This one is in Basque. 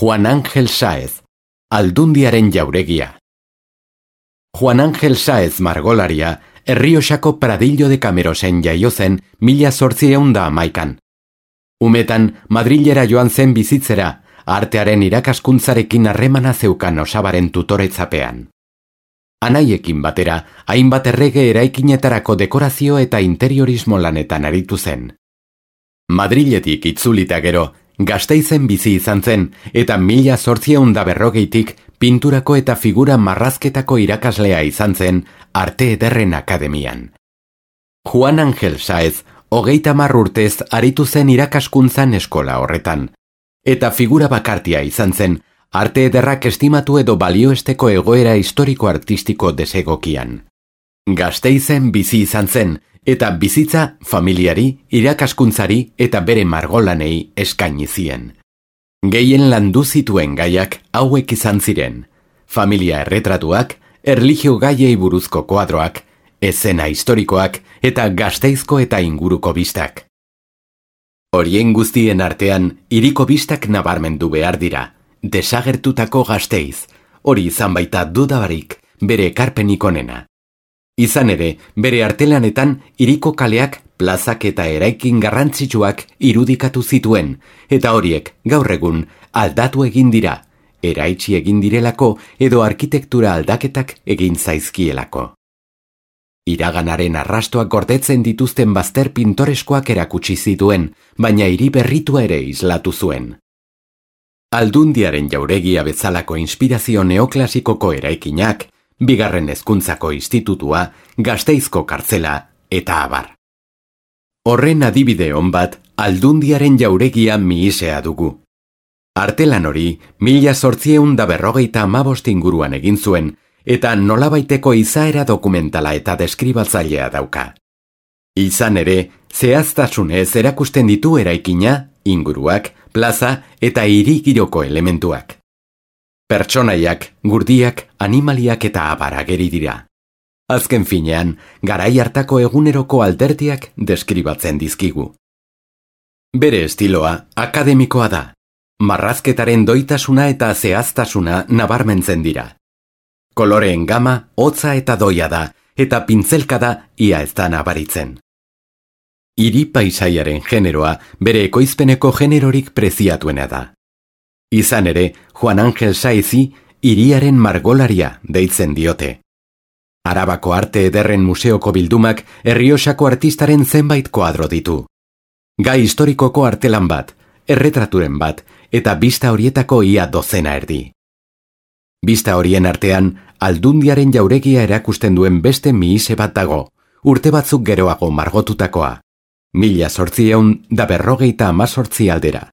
Juan Ángel Sáez, Aldundiaren jauregia. Juan Ángel Sáez margolaria, Errioxako Pradillo de Camerosen jaio zen 1811. Umetan, Madrilera joan zen bizitzera, artearen irakaskuntzarekin harremana zeukan osabaren tutoretzapean. Anaiekin batera, hainbat errege eraikinetarako dekorazio eta interiorismo lanetan aritu zen. Madriletik itzulita gero, Gasteizen bizi izan zen, eta 1840tik pinturako eta figura marrazketako irakaslea izan zen Arte Ederren Akademian. Juan Ángel Sáez, 30 urtez aritu zen irakaskuntzan eskola horretan, eta figura bakartia izan zen arte ederrak estimatu edo balioesteko egoera historiko-artistiko desegokian. Gasteizen bizi izan zen, eta bizitza familiari, irakaskuntzari eta bere margolanei eskaini zien. Gehien landu zituen gaiak hauek izan ziren: familia erretratuak, erlijio gaiei buruzko koadroak, eszena historikoak eta Gasteizko eta inguruko bistak. Horien guztien artean, hiriko bistak nabarmendu behar dira. Desagertutako Gasteiz, hori izan baita dudabarik bere ekarpenik onena. Izan ere, bere artelanetan hiriko kaleak, plazak eta eraikin garrantzitsuak irudikatu zituen, eta horiek gaur egun aldatu egin dira, eraitsi egin direlako edo arkitektura aldaketak egin zaizkielako. Iraganaren arrastoak gordetzen dituzten bazter pintoreskoak erakutsi zituen, baina hiri berritua ere islatu zuen. Aldundiaren jauregia bezalako inspirazio neoklasikoko eraikinak, Bigarren Hezkuntzako Institutua, Gasteizko kartzela eta abar. Horren adibide on bat, Aldundiaren jauregia mihisea dugu. Artelan hori 1855 inguruan egin zuen, eta nolabaiteko izaera dokumentala eta deskribatzailea dauka. Izan ere, zehaztasunez erakusten ditu eraikina, inguruak, plaza eta hiri giroko elementuak. Pertsonaiak, gurdiak, animaliak eta abar ageri dira. Azken finean, garai hartako eguneroko alderdiak deskribatzen dizkigu. Bere estiloa akademikoa da. Marrazketaren doitasuna eta zehaztasuna nabarmentzen dira. Koloreen gama hotza eta doia da, eta pintzelkada ia ez da nabaritzen. Hiri paisaiaren generoa bere ekoizpeneko generorik preziatuena da. Izan ere, Juan Ángel Sáezi hiriaren margolaria deitzen diote. Arabako Arte Ederren Museoko bildumak Errioxako artistaren zenbait koadro ditu. Gai historikoko artelan bat, erretraturen bat, eta bista horietako ia dozena erdi. Bista horien artean, Aldundiaren jauregia erakusten duen beste mihise bat dago, urte batzuk geroago margotutakoa. 1818 aldera.